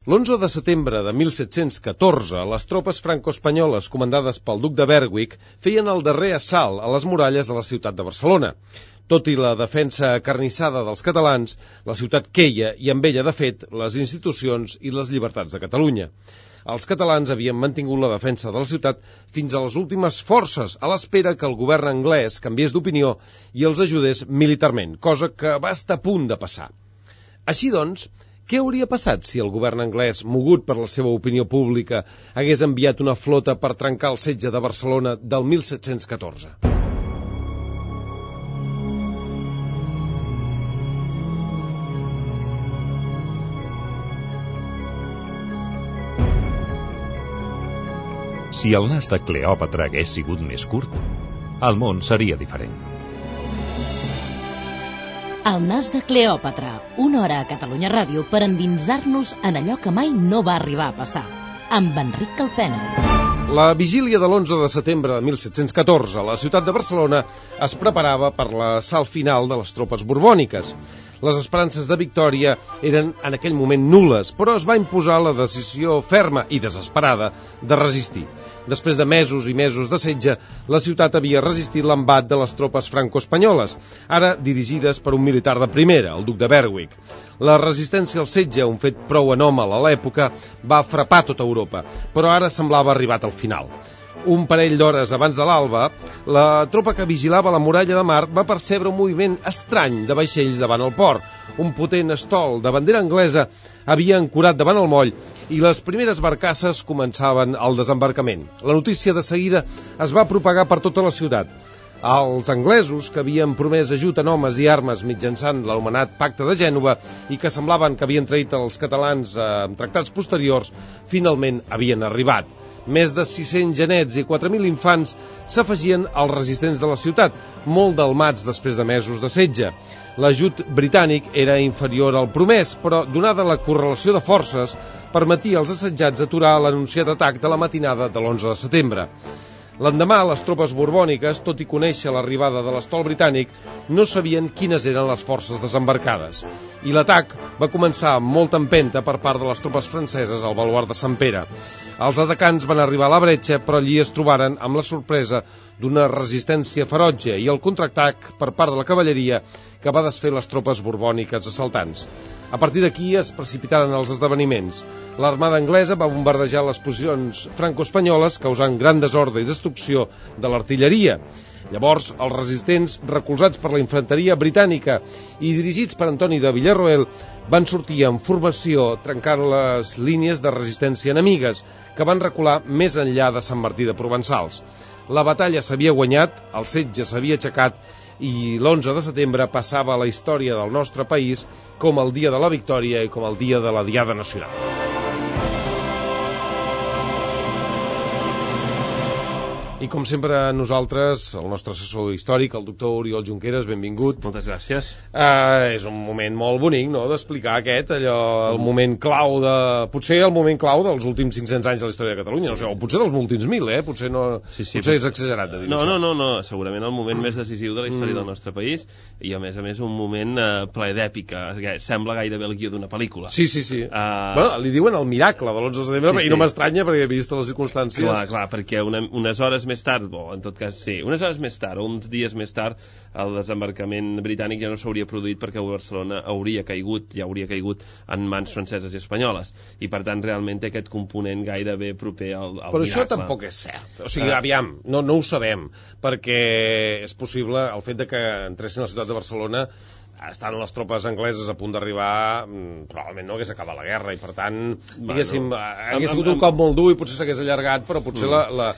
L'11 de setembre de 1714, les tropes franco-espanyoles comandades pel duc de Berwick feien el darrer assalt a les muralles de la ciutat de Barcelona. Tot i la defensa acarnissada dels catalans, la ciutat queia i amb ella, de fet, les institucions i les llibertats de Catalunya. Els catalans havien mantingut la defensa de la ciutat fins a les últimes forces, a l'espera que el govern anglès canviés d'opinió i els ajudés militarment, cosa que va estar a punt de passar. Així doncs, què hauria passat si el govern anglès, mogut per la seva opinió pública, hagués enviat una flota per trencar el setge de Barcelona del 1714? Si el nas de Cleòpatra hagués sigut més curt, el món seria diferent. El nas de Cleòpatra, una hora a Catalunya Ràdio per endinsar-nos en allò que mai no va arribar a passar, amb Enric Calpena. La vigília de l'11 de setembre de 1714, la ciutat de Barcelona es preparava per l'assalt final de les tropes borbòniques. Les esperances de victòria eren en aquell moment nul·les, però es va imposar la decisió ferma i desesperada de resistir. Després de mesos i mesos de setge, la ciutat havia resistit l'embat de les tropes franco-espanyoles, ara dirigides per un militar de primera, el duc de Berwick. La resistència al setge, un fet prou anòmal a l'època, va frapar tota Europa, però ara semblava arribat al final. Un parell d'hores abans de l'alba, la tropa que vigilava la muralla de mar va percebre un moviment estrany de vaixells davant el port. Un potent estol de bandera anglesa havia ancorat davant el moll i les primeres barcasses començaven el desembarcament. La notícia de seguida es va propagar per tota la ciutat. Els anglesos, que havien promès ajut en homes i armes mitjançant l'anomenat Pacte de Gènova i que semblaven que havien traït els catalans en tractats posteriors, finalment havien arribat. Més de 600 genets i 4.000 infants s'afegien als resistents de la ciutat, molt delmats després de mesos de setge. L'ajut britànic era inferior al promès, però, donada la correlació de forces, permetia als assetjats aturar l'anunciat atac de la matinada de l'11 de setembre. L'endemà, les tropes borbòniques, tot i conèixer l'arribada de l'estol britànic, no sabien quines eren les forces desembarcades. I l'atac va començar amb molta empenta per part de les tropes franceses al baluard de Sant Pere. Els atacants van arribar a la bretxa, però allí es trobaren amb la sorpresa d'una resistència ferotge i el contraatac per part de la cavalleria que va desfer les tropes borbòniques assaltants. A partir d'aquí es precipitaren els esdeveniments. L'armada anglesa va bombardejar les posicions franco-espanyoles, causant gran desordre i destrucció de l'artilleria. Llavors, els resistents, recolzats per la infanteria britànica i dirigits per Antoni de Villarroel, van sortir en formació trencant les línies de resistència enemigues, que van recular més enllà de Sant Martí de Provençals. La batalla s'havia guanyat, el setge s'havia aixecat i l'11 de setembre passava a la història del nostre país com el dia de la victòria i com el dia de la Diada Nacional. I com sempre nosaltres, el nostre assessor històric, el doctor Oriol Junqueras, benvingut. Moltes gràcies. És un moment molt bonic, no?, d'explicar el moment clau potser el moment clau dels últims 500 anys de la història de Catalunya, no sé, o potser dels últims 1.000, potser no, sí, potser és exagerat de dir això. No, segurament el moment més decisiu de la història del nostre país i a més un moment ple d'èpica, sembla gairebé el guió d'una pel·lícula. Sí. Bueno, li diuen el miracle de l'11 de setembre i no m'estranya perquè he vist les circumstàncies. Clar, perquè unes hores més tard, o en tot cas sí, unes hores més tard o uns dies més tard, el desembarcament britànic ja no s'hauria produït perquè Barcelona ja hauria caigut en mans franceses i espanyoles, i per tant realment té aquest component gairebé proper al miracle. Però això tampoc és cert, o sigui, aviam, no ho sabem, perquè és possible el fet de que entressin a la ciutat de Barcelona estan les tropes angleses a punt d'arribar, probablement no hagués acabat la guerra i per tant, diguéssim, hagués sigut un cop molt dur i potser s'hagués allargat, però potser la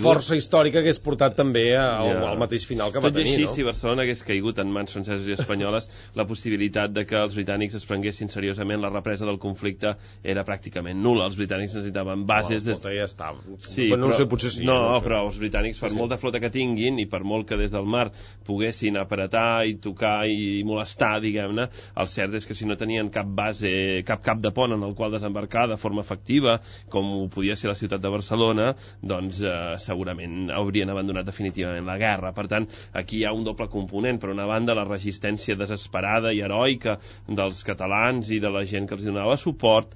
força històrica hagués portat també al mateix final que va tenir. Tot i així, si Barcelona hagués caigut en mans franceses i espanyoles, la possibilitat de que els britànics es prenguessin seriosament la represa del conflicte era pràcticament nul·la. Els britànics necessitaven bases... La flota ja estava. Sí, no sé, potser sí. No, però els britànics, per molta flota que tinguin i per molt que des del mar poguessin apretar i tocar i molestar, diguem-ne, el cert és que si no tenien cap base, cap cap de pont en el qual desembarcar de forma efectiva, com ho podia ser la ciutat de Barcelona, doncs segurament haurien abandonat definitivament la guerra. Per tant, aquí hi ha un doble component. Per una banda, la resistència desesperada i heroica dels catalans i de la gent que els donava suport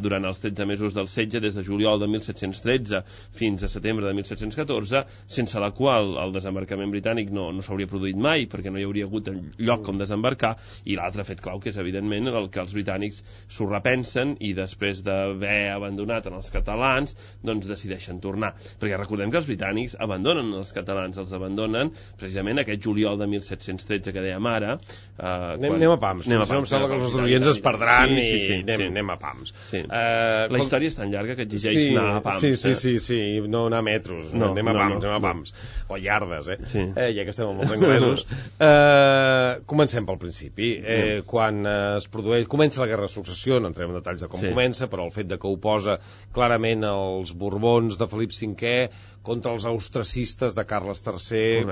durant els 13 mesos del setge, des de juliol de 1713 fins a setembre de 1714, sense la qual el desembarcament britànic no s'hauria produït mai, perquè no hi hauria hagut lloc com desembarcar, i l'altre fet clau, que és evidentment el que els britànics s'ho repensen i després d'haver abandonat en els catalans, doncs decideixen tornar. Perquè recordem que els britànics abandonen els catalans, els abandonen precisament aquest juliol de 1713 que dèiem ara. Anem a pams, em sembla que els nostres oients es perdran i anem a pams. La història és tan llarga que exigeix anar a pams. Sí, no anar a metros, anem a pams, o iardes, ja que estem amb els anglesos. Comencem pel principi. Quan es produeix, comença la Guerra de Successió, no entrem en detalls de com comença, però el fet de que oposa clarament els Borbons de Felip V contra els austracistes de Carles III,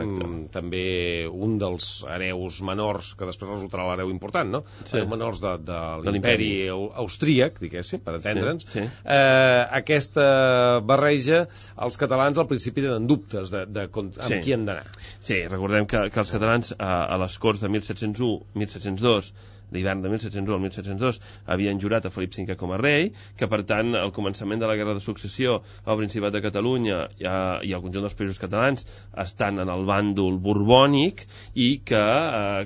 també un dels hereus menors, que després resultarà l'hereu important, no? Hereus menors de l'imperi austríac, diguéssim, per entendre'ns. Aquesta barreja, els catalans al principi tenen dubtes amb qui han d'anar. Sí, recordem que els catalans a les Corts de 1701-1702, l'hivern de 1701 al 1702, havien jurat a Felip V com a rei, que per tant al començament de la Guerra de Successió al Principat de Catalunya i al conjunt dels països catalans estan en el bàndol borbònic i que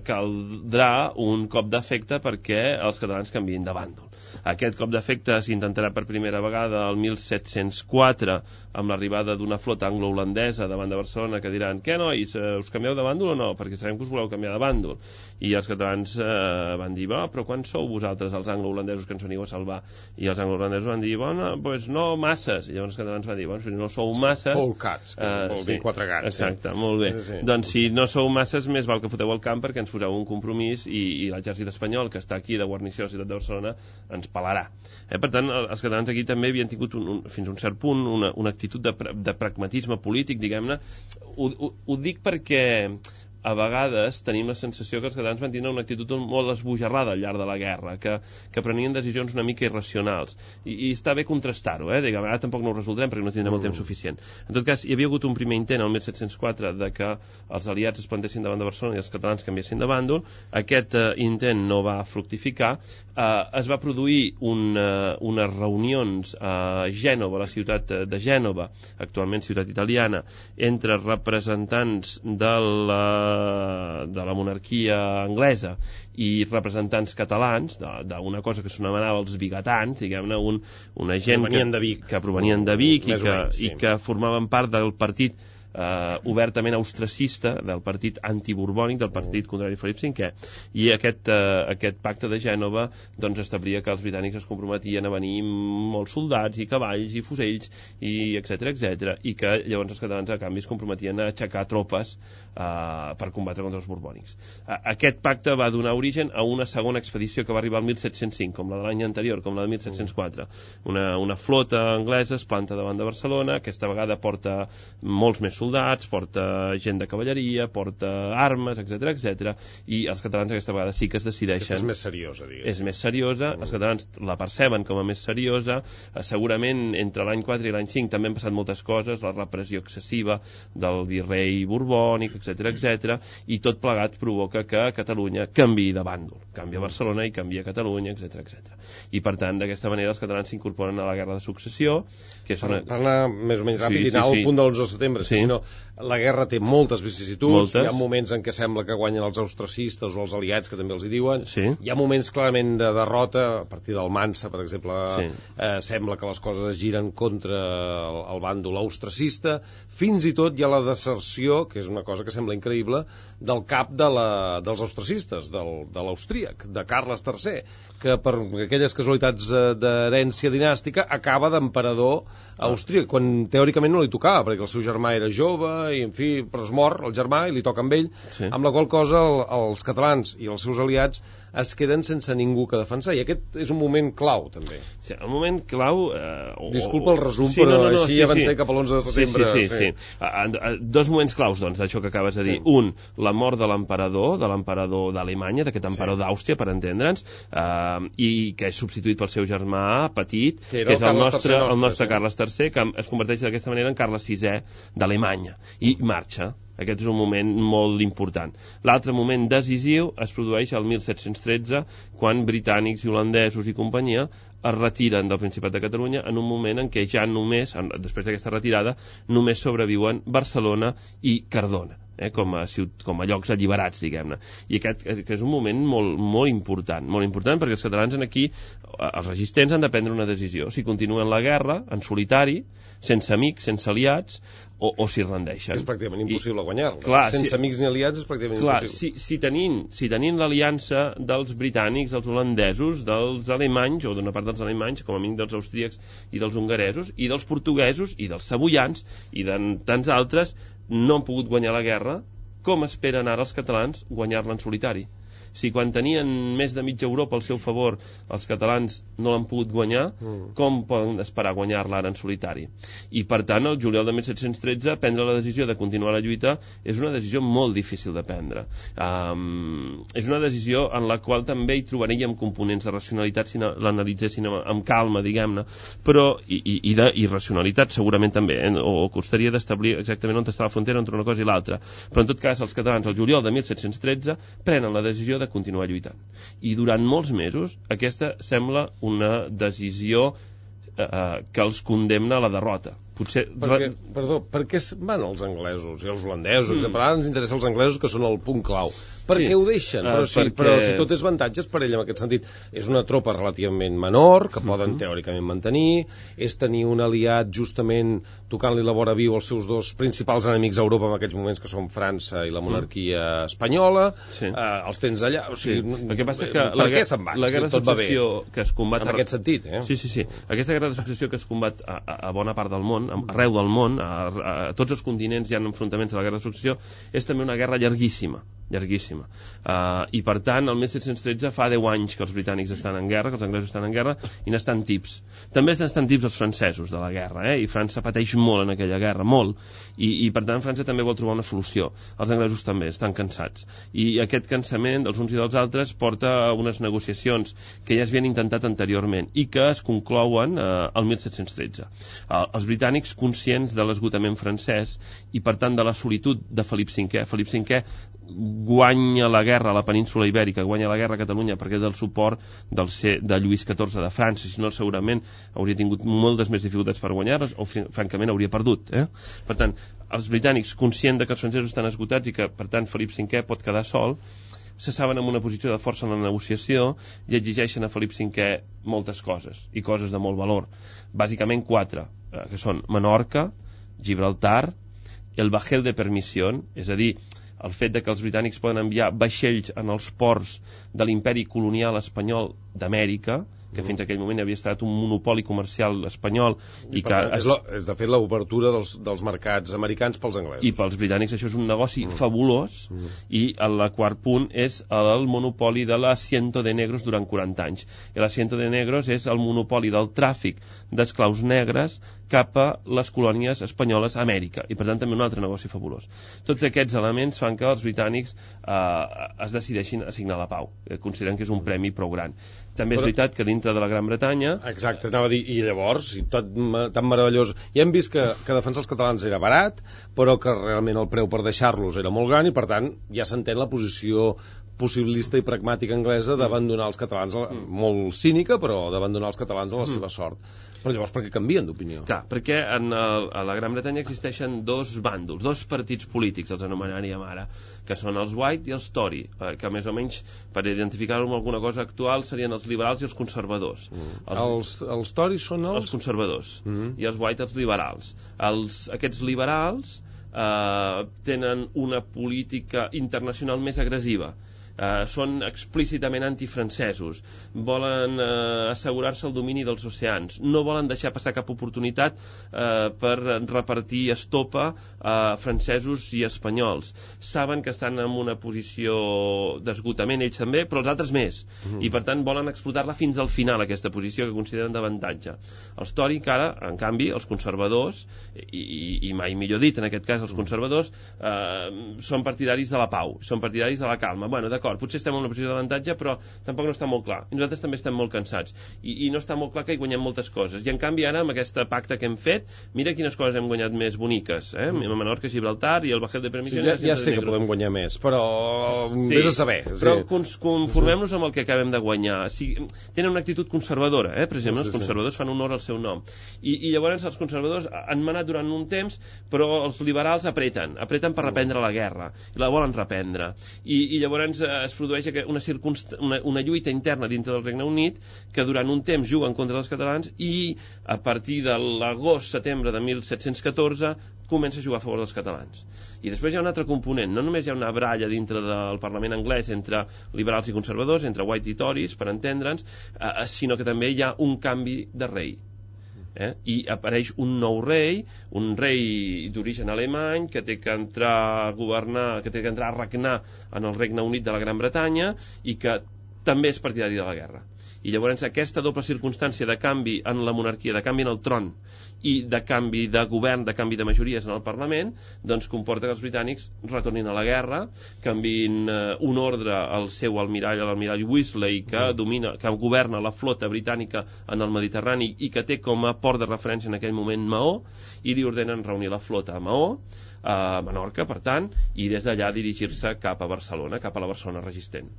caldrà un cop d'efecte perquè els catalans canviïn de bàndol. Aquest cop d'efecte s'intentarà per primera vegada el 1704 amb l'arribada d'una flota anglo-holandesa davant de Barcelona que diran: què, nois, us canvieu de bàndol o no? Perquè sabem que us voleu canviar de bàndol. I els catalans van dir: però quan sou vosaltres els anglo-holandesos que ens veniu a salvar? I els anglo-holandesos van dir: doncs no masses. I llavors els catalans van dir: si no sou masses... Whole cats, que vol dir 4 gats. Exacte, molt bé. Doncs si no sou masses, més val que foteu el camp perquè ens poseu un compromís i l'exèrcit espanyol, que està aquí de guarnició a la ciutat de Barcelona, ens pelarà. Per tant, els catalans aquí també havien tingut fins a un cert punt una actitud de pragmatisme polític, diguem-ne. Ho dic perquè a vegades tenim la sensació que els catalans van tenir una actitud molt esbojarrada al llarg de la guerra, que prenien decisions una mica irracionals. I està bé contrastar-ho, diguem, ara tampoc no ho resoldrem perquè no tindrem el temps suficient. En tot cas, hi havia hagut un primer intent el 1704 de que els aliats es plantessin davant de Barcelona i els catalans canviessin de bàndol. Aquest intent no va fructificar. Es va produir unes reunions a Gènova, a la ciutat de Gènova, actualment ciutat italiana, entre representants de la monarquia anglesa i representants catalans d'una cosa que s'anomenava els vigatans, diguem-ne, una gent que provenien de Vic i que formaven part del partit obertament austracista, del partit antiborbònic, del partit contrari a Felip V, i aquest pacte de Gènova doncs establia que els britànics es comprometien a venir molts soldats i cavalls i fusells i etc, i que llavors els catalans a canvi es comprometien a aixecar tropes per combatre contra els borbònics. Aquest pacte va donar origen a una segona expedició que va arribar al 1705, com la de l'any anterior, com la de 1704. Una flota anglesa es planta davant de Barcelona, aquesta vegada porta molts més soldats, porta gent de cavalleria, porta armes, etc, i els catalans aquesta vegada sí que es decideixen... És més seriosa, digues. És més seriosa, els catalans la perceben com a més seriosa, segurament entre l'any 4 i l'any 5 també han passat moltes coses, la repressió excessiva del virrei borbònic, etc, i tot plegat provoca que Catalunya canviï de bàndol, canvia Barcelona i canvia Catalunya, etc. I per tant, d'aquesta manera els catalans s'incorporen a la Guerra de Successió, que és una... Per anar més o menys ràpid i anar al punt de l'11 de setembre, sinó la guerra té moltes vicissituds, hi ha moments en què sembla que guanyen els austracistes o els aliats, que també els hi diuen, hi ha moments clarament de derrota, a partir del Mansa, per exemple, sembla que les coses es giren contra el bàndol austracista, fins i tot hi ha la deserció, que és una cosa que sembla increïble, del cap dels austracistes, de l'austríac, de Carles III, que per aquelles casualitats d'herència dinàstica acaba d'emperador austríac, quan teòricament no li tocava, perquè el seu germà era jove, i en fi, però es mor el germà i li toca amb ell, Sí. amb la qual cosa els catalans i els seus aliats es queden sense ningú que defensar, i aquest és un moment clau, també. Sí, el moment clau... Disculpa el resum, però així avancem cap a l'11 de setembre. Sí. Dos moments claus, doncs, d'això que acabes de dir. Un, la mort de l'emperador d'Alemanya, d'aquest emperador d'Àustria, per entendre'ns, i que és substituït pel seu germà petit, que és el nostre Carles III, que es converteix d'aquesta manera en Carles VI d'Alemanya, i marxa. Aquest és un moment molt important. L'altre moment decisiu es produeix el 1713, quan britànics i holandesos i companyia es retiren del Principat de Catalunya en un moment en què ja només, després d'aquesta retirada, només sobreviuen Barcelona i Cardona, com a llocs alliberats, diguem-ne. I aquest que és un moment molt important, perquè els catalans aquí, els resistents, han de prendre una decisió: si continuen la guerra en solitari, sense amics, sense aliats, o si rendeixen. És pràcticament impossible guanyar-la. Sense amics ni aliats és pràcticament impossible. Si tenint l'aliança dels britànics, dels holandesos, dels alemanys, o d'una part dels alemanys, com a mínim dels austríacs i dels hongaresos, i dels portuguesos, i dels savoians, i de tants altres, no han pogut guanyar la guerra, com esperen ara els catalans guanyar-la en solitari? Si quan tenien més de mitja Europa al seu favor els catalans no l'han pogut guanyar, com poden esperar guanyar-la ara en solitari? I per tant, el juliol de 1713 prendre la decisió de continuar la lluita és una decisió molt difícil de prendre. És una decisió en la qual també hi trobaríem components de racionalitat si l'analitzessin amb calma, diguem-ne, però i d'irracionalitat segurament també, o costaria d'establir exactament on està la frontera entre una cosa i l'altra. Però en tot cas, els catalans al juliol de 1713 prenen la decisió de continuar lluitant. I durant molts mesos aquesta sembla una decisió que els condemna a la derrota. Potser... Per què van els anglesos i els holandesos? Ara ens interessa els anglesos, que són el punt clau. Per què ho deixen? Però si tot és avantatges per ell en aquest sentit. És una tropa relativament menor, que poden teòricament mantenir, és tenir un aliat justament tocant-li la vora viu als seus dos principals enemics a Europa en aquests moments, que són França i la monarquia espanyola. Els tens allà. O sigui, el que passa que per què se'n van? La guerra de successió que es combat... En aquest sentit, Sí. Aquesta guerra de successió que es combat a bona part del món, arreu del món, a tots els continents hi ha enfrontaments a la guerra de successió, és també una guerra llarguíssima. I per tant el 1713 fa 10 anys que els britànics estan en guerra, que els anglesos estan en guerra, i n'estan tips. També n'estan tips els francesos de la guerra, i França pateix molt en aquella guerra, molt, i per tant França també vol trobar una solució. Els anglesos també estan cansats, i aquest cansament dels uns i dels altres porta a unes negociacions que ja es havien intentat anteriorment i que es conclouen el 1713. Els britànics, conscients de l'esgotament francès i per tant de la solitud de Felip V guanya la guerra a la península Ibèrica, guanya la guerra a Catalunya perquè del suport de Lluís XIV de França, si no segurament hauria tingut moltes més dificultats per guanyar-les o francament hauria perdut. Per tant, els britànics, conscients que els francesos estan esgotats i que per tant Felip V pot quedar sol, se saben en una posició de força en la negociació i exigeixen a Felip V moltes coses, i coses de molt valor. Bàsicament 4, que són Menorca, Gibraltar, el bajel de permissió, és a dir, el fet de que els britànics poden enviar vaixells en els ports de l'imperi colonial espanyol d'Amèrica, que fins a aquell moment havia estat un monopoli comercial espanyol i que és de fet l'obertura dels mercats americans pels anglesos. I pels britànics això és un negoci fabulós, i el quart punt és el monopoli de l'asiento de negros durant 40 anys. I l'asiento de negros és el monopoli del tràfic d'esclaus negres cap a les colònies espanyoles a Amèrica, i per tant també un altre negoci fabulós. Tots aquests elements fan que els britànics es decideixin a signar la pau, consideren que és un premi prou gran. També és veritat que dintre de la Gran Bretanya... Exacte, anava a dir, i llavors, tan meravellós. Ja hem vist que defensar els catalans era barat, però que realment el preu per deixar-los era molt gran, i per tant ja s'entén la posició possibilista i pragmàtica anglesa d'abandonar els catalans, molt cínica, però d'abandonar els catalans a la seva sort. Però llavors per què canvien d'opinió? Clar, perquè a la Gran Bretanya existeixen dos bàndols, dos partits polítics, els anomenaríem ara, que són els White i els Tory, que més o menys, per identificar-ho amb alguna cosa actual, serien els liberals i els conservadors. Els Tory són els conservadors, i els White els liberals. Aquests liberals tenen una política internacional més agressiva. són explícitament antifrancesos, volen assegurar-se el domini dels oceans, no volen deixar passar cap oportunitat per repartir estopa a francesos i espanyols. Saben que estan en una posició d'esgotament, ells també, però els altres més, i per tant volen explotar-la fins al final, aquesta posició que consideren d'avantatge. Els Tory, que ara, en canvi, els conservadors, i mai millor dit, en aquest cas els conservadors, són partidaris de la pau, són partidaris de la calma. Bueno, d'acord, potser estem en una posició d'avantatge, però tampoc no està molt clar. I nosaltres també estem molt cansats. I no està molt clar que hi guanyem moltes coses. I en canvi ara, amb aquest pacte que hem fet, mira quines coses hem guanyat més boniques. Menorca, Gibraltar i el Bajet de Permisiones. Ja sé que podem guanyar més, però vés a saber. Però conformem-nos amb el que acabem de guanyar. Tenen una actitud conservadora, per exemple, els conservadors fan honor al seu nom. I llavors els conservadors han manat durant un temps, però els liberals apreten per reprendre la guerra, i la volen reprendre. I llavors es produeix una lluita interna dintre del Regne Unit que durant un temps juga en contra dels catalans i a partir de l'agost-setembre de 1714 comença a jugar a favor dels catalans. I després hi ha un altre component, no només hi ha una baralla dintre del Parlament anglès entre liberals i conservadors, entre White i Tories, per entendre'ns, sinó que també hi ha un canvi de rei. I apareix un nou rei, un rei d'origen alemany que té que entrar a governar, que té que entrar a regnar en el Regne Unit de la Gran Bretanya i que també és partidari de la guerra. I llavors aquesta doble circumstància de canvi en la monarquia, de canvi en el tron i de canvi de govern, de canvi de majories en el Parlament, doncs comporta que els britànics retornin a la guerra, canviïn un ordre al seu almirall, l'almirall Weasley, que governa la flota britànica en el Mediterrani i que té com a port de referència en aquell moment Maó, i li ordenen reunir la flota a Maó, a Menorca, per tant, i des d'allà dirigir-se cap a Barcelona, cap a la Barcelona resistent.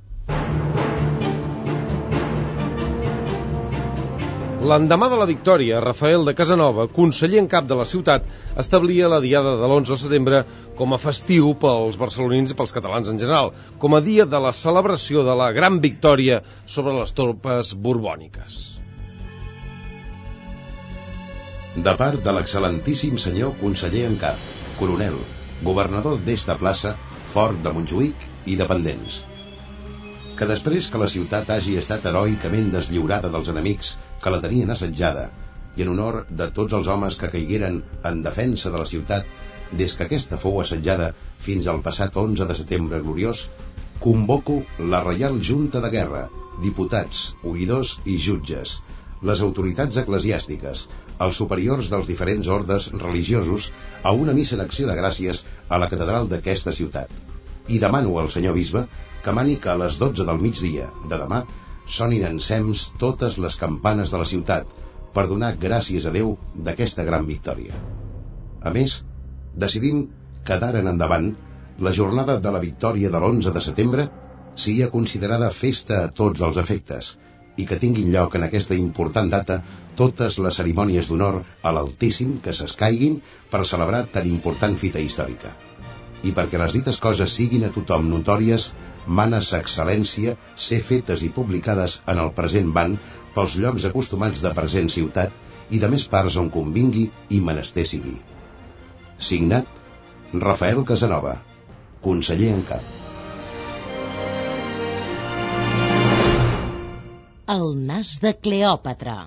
L'endemà de la victòria, Rafael de Casanova, conseller en cap de la ciutat, establia la diada de l'11 de setembre com a festiu pels barcelonins i pels catalans en general, com a dia de la celebració de la gran victòria sobre les tropes borbòniques. De part de l'excel·lentíssim senyor conseller en cap, coronel, governador d'esta plaça, Fort de Montjuïc i dependents, que després que la ciutat hagi estat heroicament deslliurada dels enemics que la tenien assetjada, i en honor de tots els homes que caigueren en defensa de la ciutat des que aquesta fou assetjada fins al passat 11 de setembre gloriós, convoco la Reial Junta de Guerra, diputats, oïdors i jutges, les autoritats eclesiàstiques, els superiors dels diferents ordes religiosos a una missa d'acció de gràcies a la catedral d'aquesta ciutat. I demano al senyor bisbe que mani que a les 12 del migdia de demà sonin ensems totes les campanes de la ciutat per donar gràcies a Déu d'aquesta gran victòria. A més, decidim que d'ara en endavant la jornada de la victòria de l'11 de setembre sigui considerada festa a tots els efectes i que tinguin lloc en aquesta important data totes les cerimònies d'honor a l'Altíssim que s'escaiguin per celebrar tan important fita històrica. I perquè les dites coses siguin a tothom notòries, mana sa excel·lència ser fetes i publicades en el present ban pels llocs acostumats de present ciutat i de més parts on convingui i menester sigui. Signat Rafael Casanova, conseller en cap. El nas de Cleòpatra.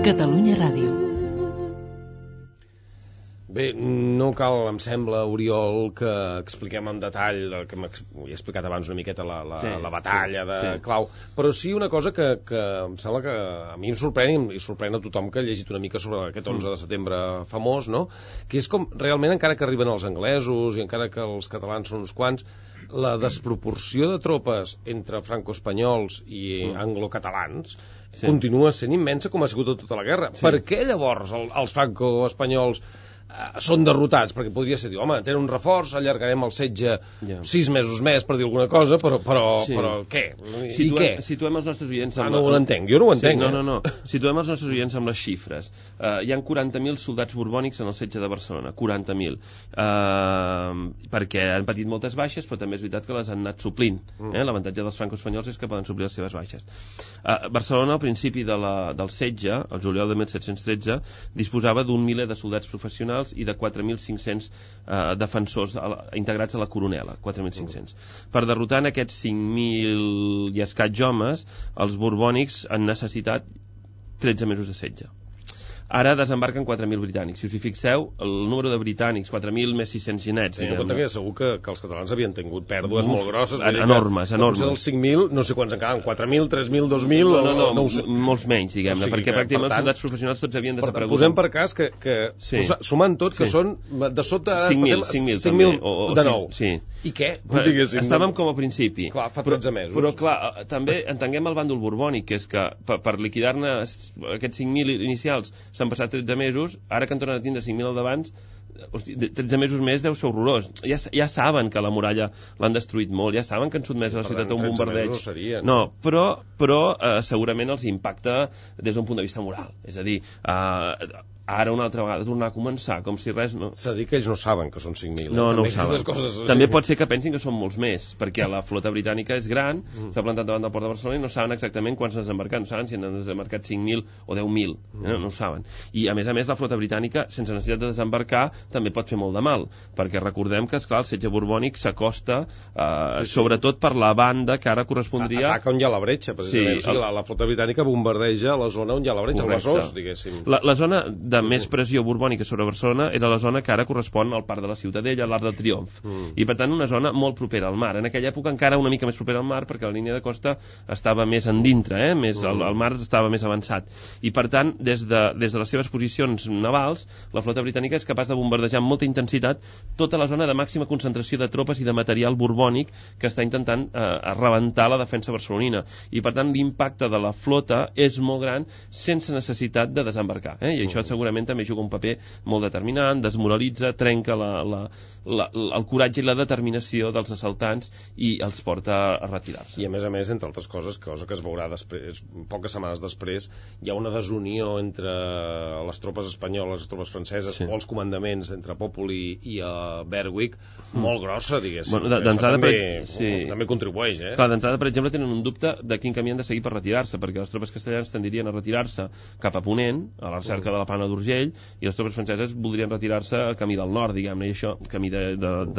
Catalunya Ràdio. Bé, no cal, em sembla, Oriol, que expliquem en detall, que he explicat abans una miqueta la batalla de Clau, però sí una cosa que em sembla que a mi em sorprèn i sorprèn a tothom que ha llegit una mica sobre aquest 11 de setembre famós, no? Que és com, realment, encara que arriben els anglesos i encara que els catalans són uns quants, la desproporció de tropes entre franco-espanyols i anglo-catalans continua sent immensa com ha sigut tota la guerra. Per què llavors els franco-espanyols són derrotats? Perquè podria ser dir, home, tenen un reforç, allargarem el setge 6 mesos més per dir alguna cosa, però què? I què? Situem els nostres oients no ho entenc, jo no ho entenc. No. Situem els nostres oients amb les xifres. Hi ha 40.000 soldats borbònics en el setge de Barcelona, 40.000. Perquè han patit moltes baixes, però també és veritat que les han anat suplint. L'avantatge dels franco-espanyols és que poden suplir les seves baixes. Barcelona, al principi del setge, el juliol de 1713, disposava d'un miler de soldats professionals professionals i de 4.500 defensors integrats a la coronela, 4.500. Per derrotar en aquests 5.000 i escaig homes, els borbònics han necessitat 13 mesos de setge. Ara desembarquen 4.000 britànics. Si us hi fixeu, el número de britànics, 4.000 més 600 ginets. Tenint en compte que segur que els catalans havien tingut pèrdues molt grosses. Enormes. Potser dels 5.000, no sé quants en quedaven, 4.000, 3.000, 2.000... No, molts menys, diguem-ne, perquè pràcticament els soldats professionals tots havien desaparegut. Posem per cas que sumant tot, que són de sota... 5.000 de nou. Sí. I què? Estàvem com a principi. Clar, fa 13 mesos. Però clar, també entenguem el bàndol borbònic, que és que per liquidar-ne aquests 5.000 inicials s'han passat 13 mesos, ara que en tornen a tindre 5.000 al davant, 13 mesos més deu ser horrorós. Ja saben que la muralla l'han destruït molt, ja saben que han sotmès a la ciutat a un bombardeig. No, però segurament els impacta des d'un punt de vista moral. És a dir, ara una altra vegada tornar a començar, com si res... S'ha de dir que ells no saben que són 5.000. No ho saben. També pot ser que pensin que són molts més, perquè la flota britànica és gran, s'ha plantat davant del port de Barcelona i no saben exactament quants han desembarcat, no saben si han desembarcat 5.000 o 10.000, no ho saben. I a més, la flota britànica, sense necessitat de desembarcar, també pot fer molt de mal, perquè recordem que, esclar, el setge borbònic s'acosta, sobretot per la banda que ara correspondria... Ataca on hi ha la bretxa, precisament. O sigui, la flota britànica bombardeja la zona on hi ha la bretxa, el Besòs, diguéssim. La zona de més pressió borbònica sobre Barcelona era la zona que ara correspon al Parc de la Ciutadella, a l'Arc del Triomf, i per tant una zona molt propera al mar. En aquella època encara una mica més propera al mar, perquè la línia de costa estava més endintre, el mar estava més avançat, i per tant des de les seves posicions navals la flota britànica és capaç de bombardejar amb molta intensitat tota la zona de màxima concentració de tropes i de material borbònic que està intentant rebentar la defensa barcelonina, i per tant l'impacte de la flota és molt gran sense necessitat de desembarcar, i això segurament també juga un paper molt determinant, desmoralitza, trenca el coratge i la determinació dels assaltants i els porta a retirar-se. I a més, entre altres coses, cosa que es veurà després, poques setmanes després, hi ha una desunió entre les tropes espanyoles, les tropes franceses, o els comandaments entre Popoli i Berwick, molt grossa, diguéssim. Bueno, també contribueix, Clar, d'entrada, per exemple, tenen un dubte de quin camí han de seguir per retirar-se, perquè les tropes castellanes tendirien a retirar-se cap a Ponent, a la recerca de la Plana d'Urgell, i les tropes franceses voldrien retirar-se al camí del nord, diguem-ne, i això, camí de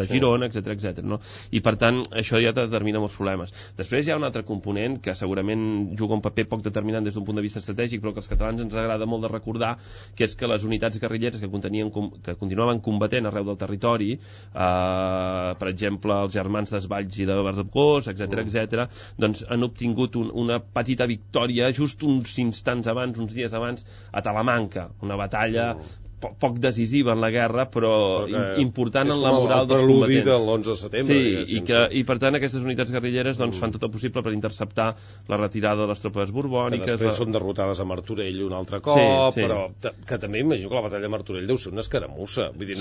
Girona, etc, no? I per tant, això ja determina molts problemes. Després hi ha un altre component que segurament juga un paper poc determinant des d'un punt de vista estratègic, però que als catalans ens agrada molt de recordar, que és que les unitats guerrilleres que continuaven combatent arreu del territori, per exemple, els germans d'Esvalls i de Bargós, etc, doncs han obtingut una petita victòria just uns instants abans, uns dies abans, a Talamanca, una batalla poc decisiva en la guerra, però important en la moral dels combatents. És com el preludi de l'11 de setembre. Sí, i per tant aquestes unitats guerrilleres fan tot el possible per interceptar la retirada de les tropes borbòniques. Que després són derrotades a Martorell un altre cop, però que també imagino que la batalla de Martorell deu ser una escaramussa. Vull dir,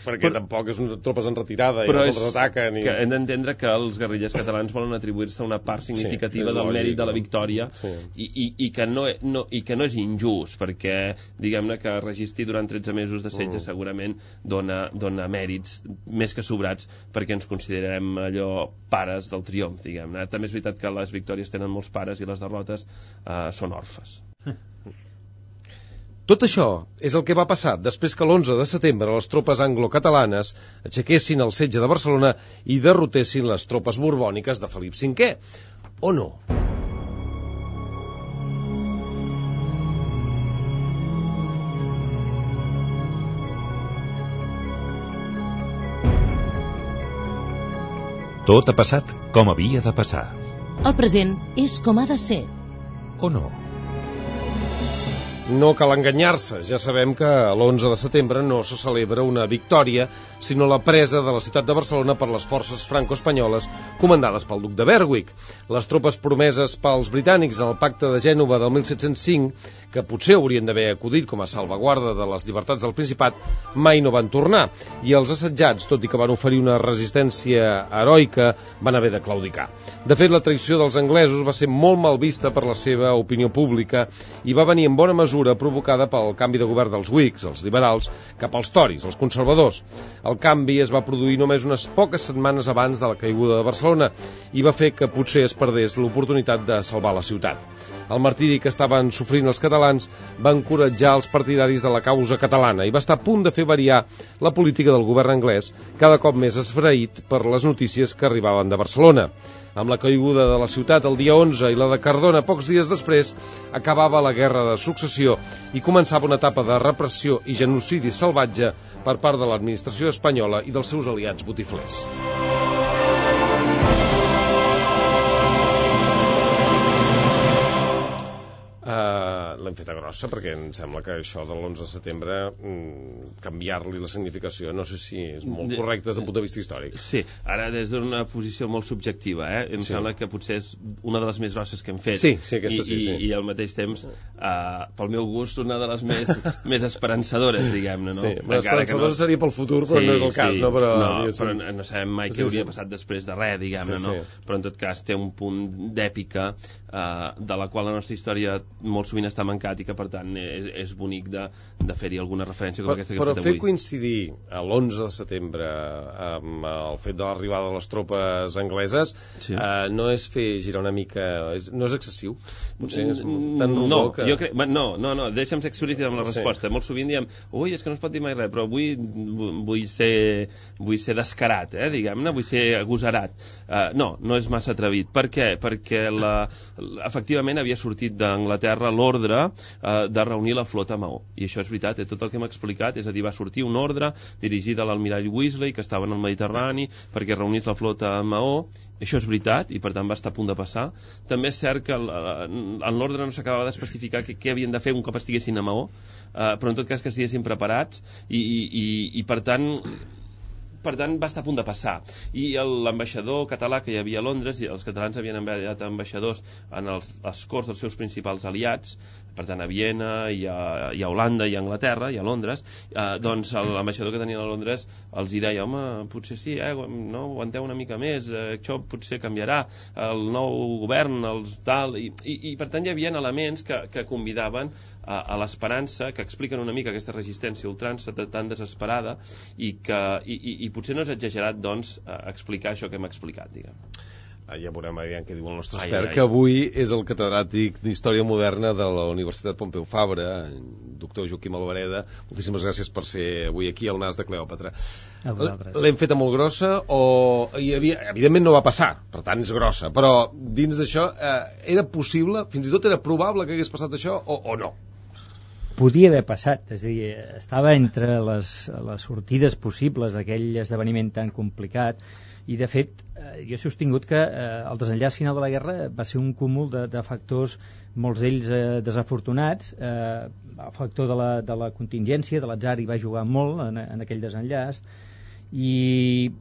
perquè tampoc és tropes en retirada i els ataquen. Que hem d'entendre que els guerrillers catalans volen atribuir-se una part significativa del mèrit de la victòria i que no és injust, perquè diguem-ne que durant 13 mesos de setge segurament dona mèrits més que sobrats perquè ens considerem allò pares del triomf, diguem-ne. També és veritat que les victòries tenen molts pares i les derrotes són orfes. Tot això és el que va passar després que l'11 de setembre les tropes anglo-catalanes aixequessin el setge de Barcelona i derrotessin les tropes borbòniques de Felip V. O no? Tot ha passat com havia de passar. El present és com ha de ser. O no? No cal enganyar-se, ja sabem que l'11 de setembre no se celebra una victòria, sinó la presa de la ciutat de Barcelona per les forces franco-espanyoles comandades pel duc de Berwick. Les tropes promeses pels britànics en el pacte de Gènova del 1705, que potser haurien d'haver acudit com a salvaguarda de les llibertats del Principat, mai no van tornar, i els assetjats, tot i que van oferir una resistència heroica, van haver de claudicar. De fet, la traïció dels anglesos va ser molt mal vista per la seva opinió pública i va venir en bona mesura mesura provocada pel canvi de govern dels Whigs, els liberals, cap als Tories, els conservadors. El canvi es va produir només unes poques setmanes abans de la caiguda de Barcelona i va fer que potser es perdés l'oportunitat de salvar la ciutat. El martiri que estaven sofrint els catalans va encoratjar els partidaris de la causa catalana i va estar a punt de fer variar la política del govern anglès, cada cop més esfraït per les notícies que arribaven de Barcelona. Amb la caiguda de la ciutat el dia 11 i la de Cardona pocs dies després, acabava la guerra de successió i començava una etapa de repressió i genocidi salvatge per part de l'administració espanyola i dels seus aliats botiflers. L'hem feta grossa perquè em sembla que això de l'11 de setembre canviar-li la significació no sé si és molt correcte des d'un punt de vista històric. Sí, ara des d'una posició molt subjectiva, em sembla que potser és una de les més grosses que hem fet. Sí, aquesta sí. I al mateix temps, pel meu gust, una de les més esperançadores, diguem-ne, no? Sí, l'esperançadora seria pel futur, però no és el cas, no? Però no sabem mai què hauria passat després de res, diguem-ne, no? Però en tot cas té un punt d'èpica de la qual la nostra història molt sovint està mancat i que per tant és bonic de fer-hi alguna referència com aquesta que hem fet avui. Però fer coincidir l'11 de setembre amb el fet de l'arribada de les tropes angleses no és fer girar una mica... no és excessiu? Potser és tan rodó que... No, deixa'm ser explícit amb la resposta. Molt sovint diem, ui, és que no es pot dir mai res, però vull ser descarat, diguem-ne, vull ser agosarat. No és massa atrevit. Per què? Perquè efectivament havia sortit d'Anglaterra l'ordre de reunir la flota a Maó. I això és veritat, tot el que hem explicat, és a dir, va sortir una ordre dirigida a l'almirall Weasley, que estava en el Mediterrani, perquè reunís la flota a Maó. Això és veritat, i per tant va estar a punt de passar. També és cert que en l'ordre no s'acabava d'especificar què havien de fer un cop estiguessin a Maó, però en tot cas que estiguessin preparats, i per tant va estar a punt de passar. I l'ambaixador català que hi havia a Londres, i els catalans havien enviat ambaixadors en les corts dels seus principals aliats, per tant a Viena, i a Holanda, i a Anglaterra, i a Londres, doncs l'ambaixador que tenien a Londres els hi deia, home, potser sí, no, aguanteu una mica més, això potser canviarà, el nou govern, tal, i per tant hi havia elements que convidaven a l'esperança, que expliquen una mica aquesta resistència ultrança tan desesperada, i potser no és exagerat, doncs, explicar això que hem explicat, diguem. Ja veurem què diu el nostre expert, que avui és el catedràtic d'Història Moderna de la Universitat Pompeu Fabra, doctor Joaquim Albareda. Moltíssimes gràcies per ser avui aquí al Nas de Cleòpatra. L'hem feta molt grossa, evidentment no va passar, per tant és grossa, però dins d'això era possible, fins i tot era probable que hagués passat això o no? Podia haver passat, és a dir, estava entre les sortides possibles d'aquell esdeveniment tan complicat, i de fet jo he sostingut que el desenllaç final de la guerra va ser un cúmul de factors, molts d'ells desafortunats. El factor de la contingència, de l'atzar, hi va jugar molt en aquell desenllaç, i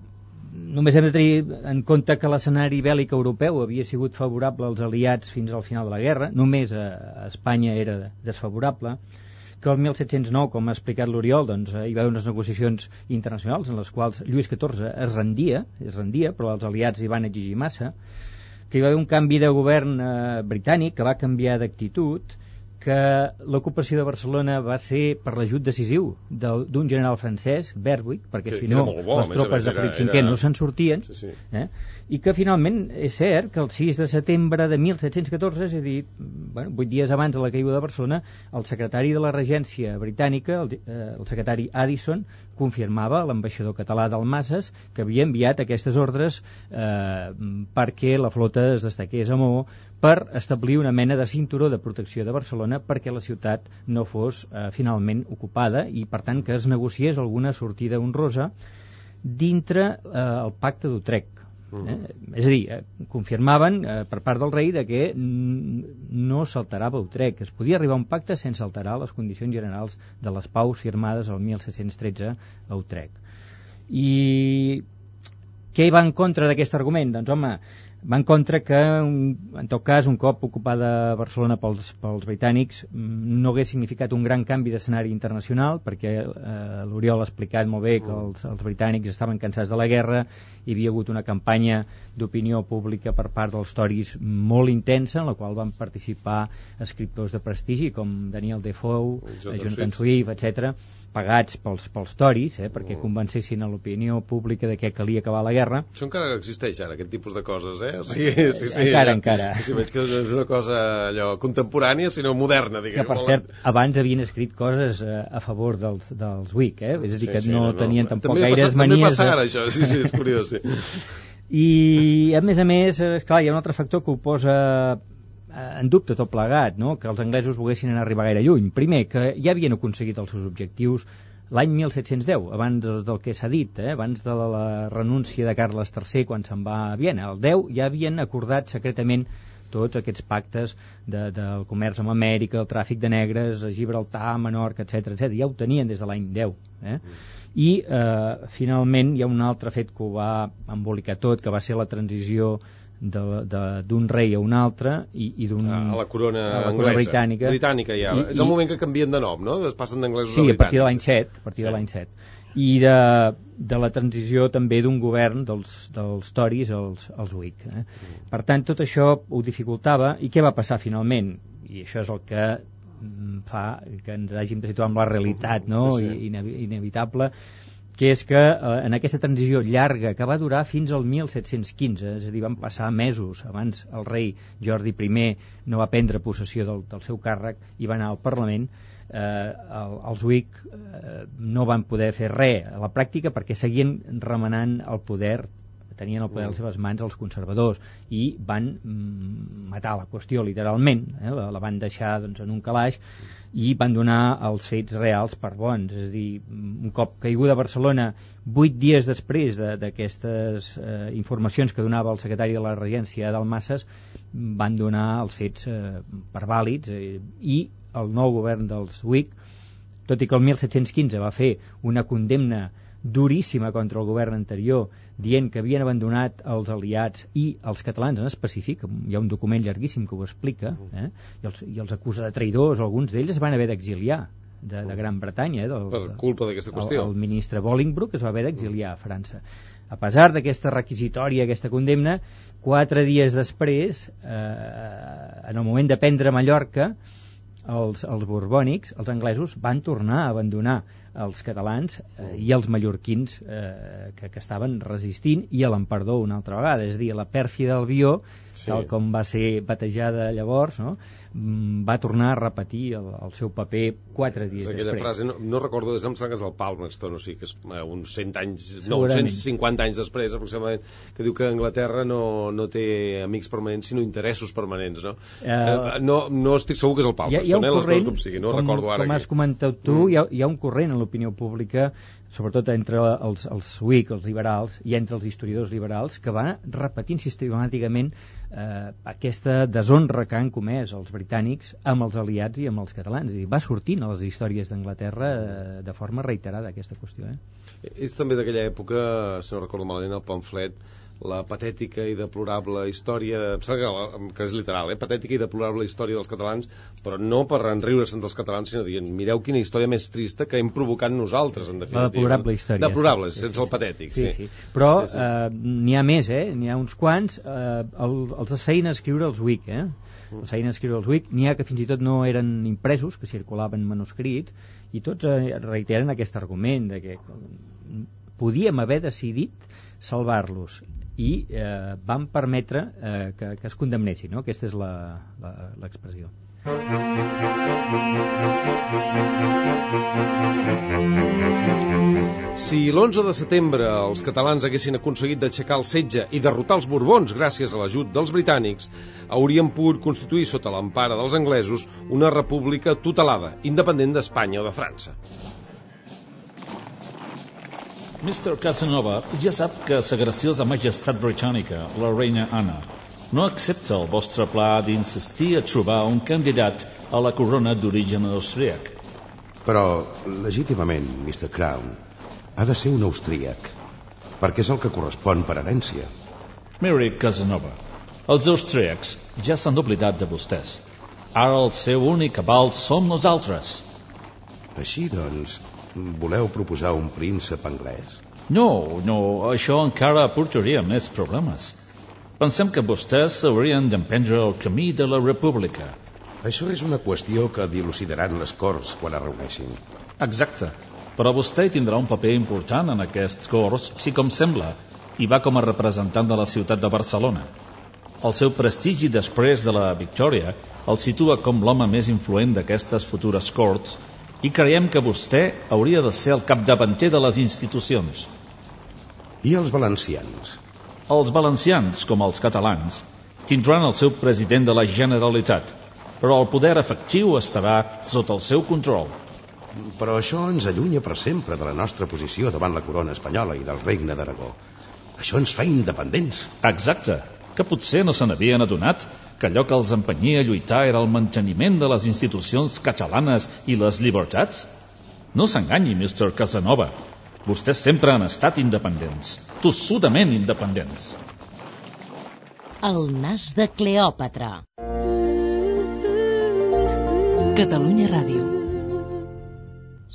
només hem de tenir en compte que l'escenari bèl·lic europeu havia sigut favorable als aliats fins al final de la guerra, només a Espanya era desfavorable, que el 1709, com ha explicat l'Oriol, doncs, hi va haver unes negociacions internacionals en les quals Lluís XIV es rendia, però els aliats hi van exigir massa, que hi va haver un canvi de govern britànic que va canviar d'actitud, que l'ocupació de Barcelona va ser per l'ajut decisiu d'un general francès, Berwick, perquè si no les tropes de Felip V no se'n sortien, i que finalment és cert que el 6 de setembre de 1714, és a dir, 8 dies abans de la caiguda de Barcelona, el secretari de la regència britànica, el secretari Addison, confirmava a l'ambaixador català d'Almases que havia enviat aquestes ordres perquè la flota es destaqués a Maó, per establir una mena de cinturó de protecció de Barcelona perquè la ciutat no fos finalment ocupada, i per tant que es negociés alguna sortida honrosa dintre el pacte d'Utrecht. És a dir, confirmaven per part del rei de que no s'alterava Utrecht, es podia arribar a un pacte sense alterar les condicions generals de les paus firmades el 1713 a Utrecht. I què hi va en contra d'aquest argument? Doncs home, Va en contra que, en tot cas, un cop ocupada Barcelona pels britànics, no hagués significat un gran canvi d'escenari internacional, perquè l'Oriol ha explicat molt bé que els britànics estaven cansats de la guerra, hi havia hagut una campanya d'opinió pública per part dels Tories molt intensa, en la qual van participar escriptors de prestigi com Daniel Defoe, Jonathan Swift, etc., pagats pels Tories, perquè convencessin a l'opinió pública de que calia acabar la guerra. Això encara existeix ara, aquest tipus de coses, O sigui, sí. Encara. Si veig que no és una cosa allò contemporània, sinó moderna, diguem. Que, per cert, abans havien escrit coses a favor dels Whig, És a dir, que no tenien tampoc gaires manies... També passa ara, això, sí, és curiós, sí. I, a més, esclar, hi ha un altre factor que ho posa en dubte tot plegat, no? Que els anglesos volguessin arribar gaire lluny. Primer, que ja havien aconseguit els seus objectius l'any 1710, abans del que s'ha dit, abans de la renúncia de Carles III quan se'n va a Viena. El 10 ja havien acordat secretament tots aquests pactes del comerç amb Amèrica, el tràfic de negres, Gibraltar, Menorca, etc. Ja ho tenien des de l'any 10. I finalment hi ha un altre fet que ho va embolicar tot, que va ser la transició d'un rei a un altre i a la corona anglesa, britànica ja. És el moment que canvien de nom, no? Es passen d'anglesos a britànics. Sí, a partir de l'any 7. I de la transició també d'un govern dels Tories als Whig. Per tant, tot això ho dificultava. I què va passar finalment? I això és el que fa que ens hàgim de situar amb la realitat, no? Inevitable, que és que en aquesta transició llarga que va durar fins al 1715, és a dir, van passar mesos abans el rei Jordi I no va prendre possessió del seu càrrec i va anar al Parlament, els Whig no van poder fer res a la pràctica perquè seguien remenant el poder, tenien el poder a les seves mans els conservadors, i van matar la qüestió literalment, la van deixar en un calaix i van donar els fets reals per bons. És a dir, un cop caiguda a Barcelona, 8 dies després d'aquestes informacions que donava el secretari de la Regència, Dalmases, van donar els fets per vàlids, i el nou govern dels Whig, tot i que el 1715 va fer una condemna duríssima contra el govern anterior, dient que havien abandonat els aliats i els catalans en específic, hi ha un document llarguíssim que ho explica, i els acusa de traïdors, alguns d'ells es van haver d'exiliar de Gran Bretanya, per culpa d'aquesta qüestió. El ministre Bolingbroke es va haver d'exiliar a França. A pesar d'aquesta requisitòria, aquesta condemna, 4 dies després, en el moment de prendre Mallorca, els borbònics, els anglesos, van tornar a abandonar els catalans i els mallorquins que estaven resistint, i a l'emperador una altra vegada. És a dir, la pèrfia d'Albió, tal com va ser batejada llavors, va tornar a repetir el seu paper 4 dies després. Aquella frase, no recordo, em sembla que és el Palmerston, o sigui que és uns 100 anys, no, 150 anys després aproximadament, que diu que Anglaterra no té amics permanents sinó interessos permanents, no? No estic segur que és el Palmerston, les coses com sigui, no recordo ara. Com has comentat tu, hi ha un corrent en l'opinió pública, sobretot entre els Whig, els liberals, i entre els historiadors liberals, que va repetint sistemàticament aquesta deshonra que han comès els britànics amb els aliats i amb els catalans. I va sortint a les històries d'Anglaterra de forma reiterada aquesta qüestió. És també d'aquella època, si no recordo malament, el pamflet La patètica i deplorable història, em sembla que és literal, patètica i deplorable història dels catalans, però no per enriure-se'n dels catalans, sinó dient, mireu quina història més trista que hem provocat nosaltres, en definitiva. La deplorable història. Deplorable, sense el patètic, sí. Però n'hi ha més, n'hi ha uns quants, els feien escriure els Whig, els feien escriure els Whig, n'hi ha que fins i tot no eren impresos, que circulaven manuscrits, i tots reiteren aquest argument de que podíem haver decidit salvar-los, i van permetre que es condemnessin, no? Aquesta és l'expressió. Si l'11 de setembre els catalans haguessin aconseguit d'aixecar el setge i derrotar els Borbons gràcies a l'ajut dels britànics, haurien pogut constituir sota l'empara dels anglesos una república tutelada, independent d'Espanya o de França. Mr. Casanova ja sap que sa graciosa majestat britànica, la reina Anna, no accepta el vostre pla d'insistir a trobar un candidat a la corona d'origen austríac. Però, legítimament, Mr. Crown, ha de ser un austríac, perquè és el que correspon per herència. Miri, Casanova, Els austríacs ja s'han oblidat de vostès. Ara el seu únic aval som nosaltres. Així, doncs, voleu proposar un príncep anglès? No, això encara portaria més problemes. Pensem que vostès haurien d'emprendre el camí de la república. Això és una qüestió que dilucidaran les Corts quan es reuneixin. Exacte. Però vostè tindrà un paper important en aquests Corts, si com sembla, i va com a representant de la ciutat de Barcelona. El seu prestigi després de la victòria el situa com l'home més influent d'aquestes futures Corts i creiem que vostè hauria de ser el capdavanter de les institucions. I els valencians? Els valencians, com els catalans, tindran el seu president de la Generalitat, però el poder efectiu estarà sota el seu control. Però això ens allunya per sempre de la nostra posició davant la corona espanyola i del regne d'Aragó. Això ens fa independents. Exacte, que potser no se n'havien adonat que allò que els empenyia a lluitar era el manteniment de les institucions catalanes i les llibertats? No s'enganyi, Mr. Casanova. Vostès sempre han estat independents, tossudament independents. El nas de Cleòpatra. Catalunya Ràdio.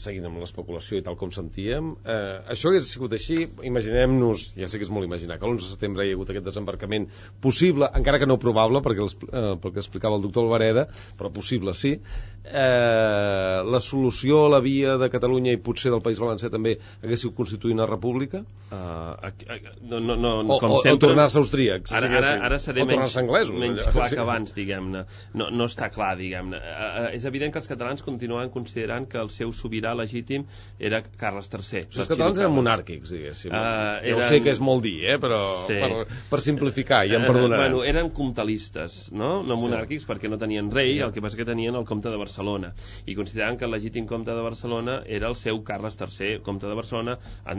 Seguint amb l'especulació i tal com sentíem, això hagués sigut així. Imaginem-nos, ja sé que és molt imaginar, que l'11 de setembre hi ha hagut aquest desembarcament possible, encara que no probable, perquè pel que explicava el doctor Albareda, però possible sí. La solució a la via de Catalunya i potser del País Valencià també hagués sigut constituir una república? O tornar-se austríacs? Ara seré menys anglesos, clar que abans, diguem-ne. No està clar, diguem-ne. És evident que els catalans continuen considerant que el seu sobirà legítim era Carles III. Els catalans eren monàrquics, diguéssim. Jo sé que és molt dir, però sí. per simplificar, ja em perdonaran. Eren comtalistes, no monàrquics, perquè no tenien rei, el que passa que tenien el comte de Barcelona, i consideraven que el legítim comte de Barcelona era el seu Carles III, comte de Barcelona,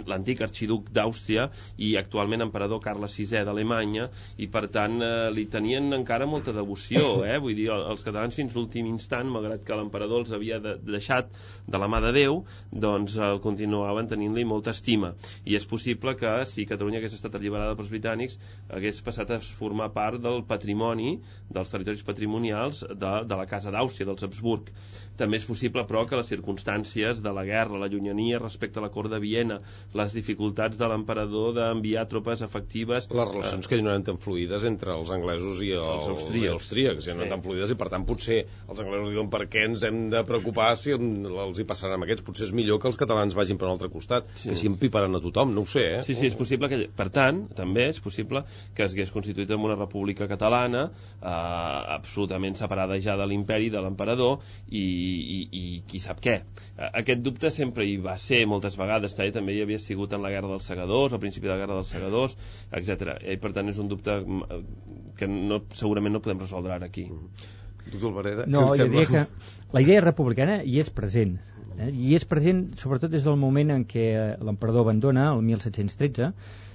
l'antic arxiduc d'Àustria i actualment emperador Carles VI d'Alemanya, i per tant li tenien encara molta devoció, vull dir, els catalans fins l'últim instant, malgrat que l'emperador els havia deixat de la mà de Déu, doncs continuaven tenint-li molta estima, i és possible que si Catalunya hagués estat alliberada pels britànics hagués passat a formar part del patrimoni, dels territoris patrimonials de la Casa d'Àustria, dels Habsburg. També és possible, però, que les circumstàncies de la guerra, la llunyania respecte a la cort de Viena, les dificultats de l'emperador d'enviar tropes efectives... Les relacions que no eren tan fluides entre els anglesos i els austríacs, ja no eren tan fluides, i per tant potser els anglesos diuen per què ens hem de preocupar si els hi passaran amb aquests, potser és millor que els catalans vagin per un altre costat, que així empiparan a tothom, no ho sé, Sí, és possible que, per tant, també és possible que es hagués constituït en una república catalana absolutament separada ja de l'imperi, de l'emperador, i qui sap què. Aquest dubte sempre hi va ser moltes vegades, també hi havia sigut en la Guerra dels Segadors, al principi de la Guerra dels Segadors, etc. I per tant és un dubte que segurament no podem resoldre ara aquí. Doctor Albareda, no, jo diria que la idea republicana hi és present, i és present sobretot des del moment en què l'emperador abandona, el 1713.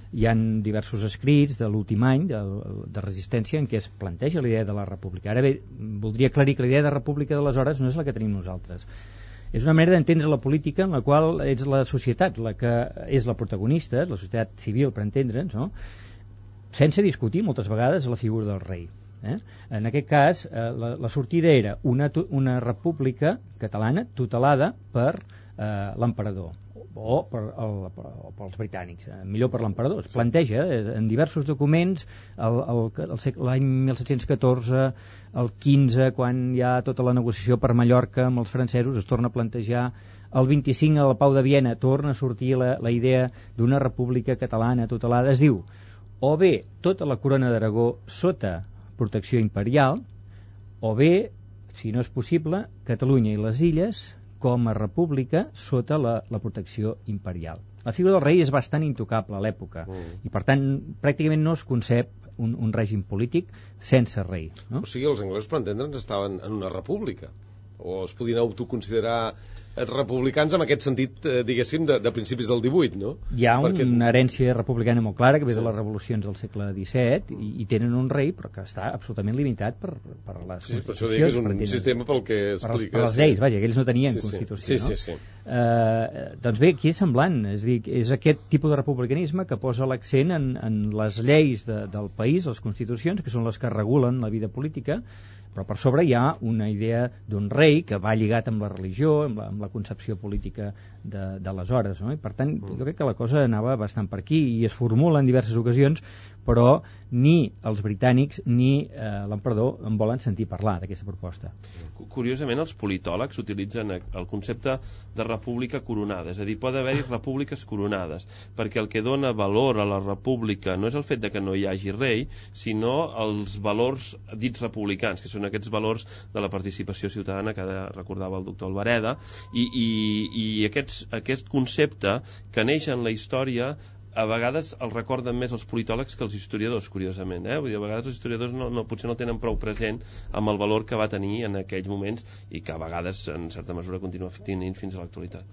Hi ha diversos escrits de l'últim any de resistència en què es planteja la idea de la república. Ara bé, voldria aclarir que la idea de república d'aleshores no és la que tenim nosaltres. És una manera d'entendre la política en la qual és la societat la que és la protagonista, la societat civil, per entendre'ns, no? Sense discutir moltes vegades la figura del rei. En aquest cas, la sortida era una república catalana tutelada per l'emperador o pels britànics, millor per l'emperador. Es planteja en diversos documents l'any 1714, el 15, quan hi ha tota la negociació per Mallorca amb els francesos, es torna a plantejar. El 25, a la Pau de Viena, torna a sortir la idea d'una república catalana tutelada. Es diu, o bé tota la corona d'Aragó sota protecció imperial, o bé, si no és possible, Catalunya i les illes com a república sota la protecció imperial. La figura del rei és bastant intocable a l'època i per tant pràcticament no es concep un règim polític sense rei, no? O sigui, els anglesos, per entendre'ns, estaven en una república. o es podien autoconsiderar republicans en aquest sentit, diguéssim, de principis del 18, no? Hi ha una herència republicana molt clara que ve de les revolucions del segle XVII i tenen un rei però que està absolutament limitat per les constitucions. Per això dic que és un sistema pel que expliques. Per les lleis, vaja, que ells no tenien constitució. Sí. Doncs bé, aquí és semblant, és dir, és aquest tipus de republicanisme que posa l'accent en les lleis del país, les constitucions, que són les que regulen la vida política, però per sobre hi ha una idea d'un rei que va lligat amb la religió, amb la concepció política d'aleshores, no? I per tant, jo crec que la cosa anava bastant per aquí i es formula en diverses ocasions, però ni els britànics ni l'emperador en volen sentir parlar d'aquesta proposta. Curiosament, els politòlegs utilitzen el concepte de república coronada, és a dir, pot haver-hi repúbliques coronades, perquè el que dona valor a la república no és el fet de que no hi hagi rei, sinó els valors dits republicans, que són aquests valors de la participació ciutadana que recordava el doctor Albareda, i aquest concepte que neix en la història a vegades el recorden més els politòlegs que els historiadors, curiosament. Vull dir, a vegades els historiadors potser no tenen prou present amb el valor que va tenir en aquells moments i que a vegades, en certa mesura, continua tenint fins a l'actualitat.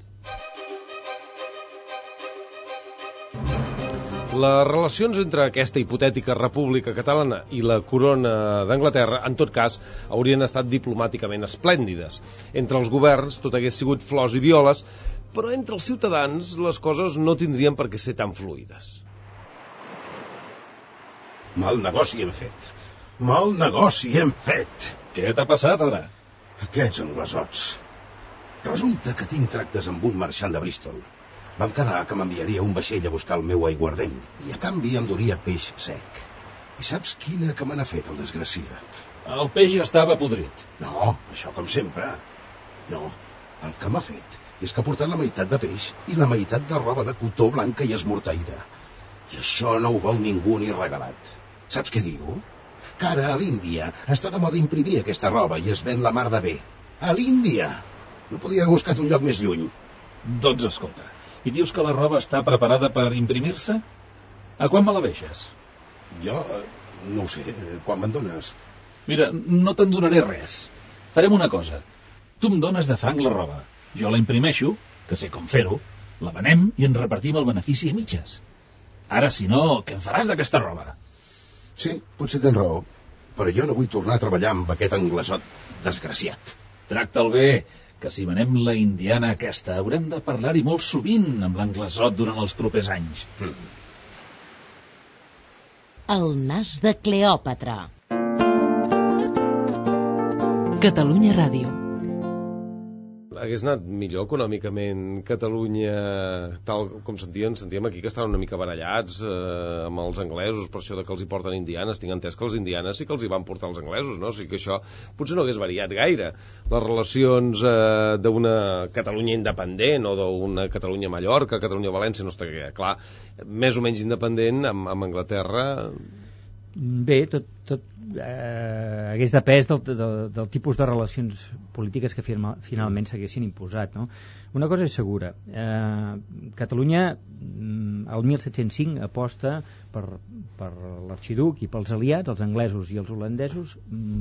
Les relacions entre aquesta hipotètica república catalana i la corona d'Anglaterra, en tot cas, haurien estat diplomàticament esplèndides. Entre els governs tot hagués sigut flors i violes, però entre els ciutadans les coses no tindrien per què ser tan fluides. Mal negoci hem fet. Mal negoci hem fet. Què t'ha passat, ara? Aquests anglesots. Resulta que tinc tractes amb un marxant de Bristol. Vam quedar que m'enviaria un vaixell a buscar el meu aiguardent i a canvi em duria peix sec. I saps quina que me n'ha fet el desgraciat? El peix estava podrit. No, això com sempre. No, el que m'ha fet és que ha portat la meitat de peix i la meitat de roba de cotó blanca i esmorteïda. I això no ho vol ningú ni regalat. Saps què diu? Que ara a l'Índia està de moda imprimir aquesta roba i es ven la mar de bé. A l'Índia! No podia haver buscat un lloc més lluny. Doncs escolta, i dius que la roba està preparada per imprimir-se? A quan me la deixes? Jo, no ho sé, quan me'n dones? Mira, no te'n donaré res. Farem una cosa. Tu em dones de franc la roba. Jo la imprimeixo, que sé com fer-ho, la venem i ens repartim el benefici a mitges. Ara, si no, què en faràs d'aquesta roba? Sí, potser tens raó, però jo no vull tornar a treballar amb aquest anglesot desgraciat. Tracta'l bé, que si venem la indiana aquesta haurem de parlar-hi molt sovint amb l'anglesot durant els propers anys. El nas de Cleòpatra. Catalunya Ràdio. Hagués anat millor econòmicament Catalunya, tal com sentíem aquí que estaven una mica barallats amb els anglesos per això de que els hi porten indianes. Tinc entès que els indianes sí que els hi van portar els anglesos, no? O sigui que això potser no hagués variat gaire. Les relacions d'una Catalunya independent o d'una Catalunya-Mallorca, Catalunya-València, no està clar, més o menys independent amb Anglaterra. Bé, tot hagués depès del tipus de relacions polítiques que finalment s'haguessin imposat, no? Una cosa és segura, Catalunya el 1705 aposta per l'arxiduc i pels aliats, els anglesos i els holandesos,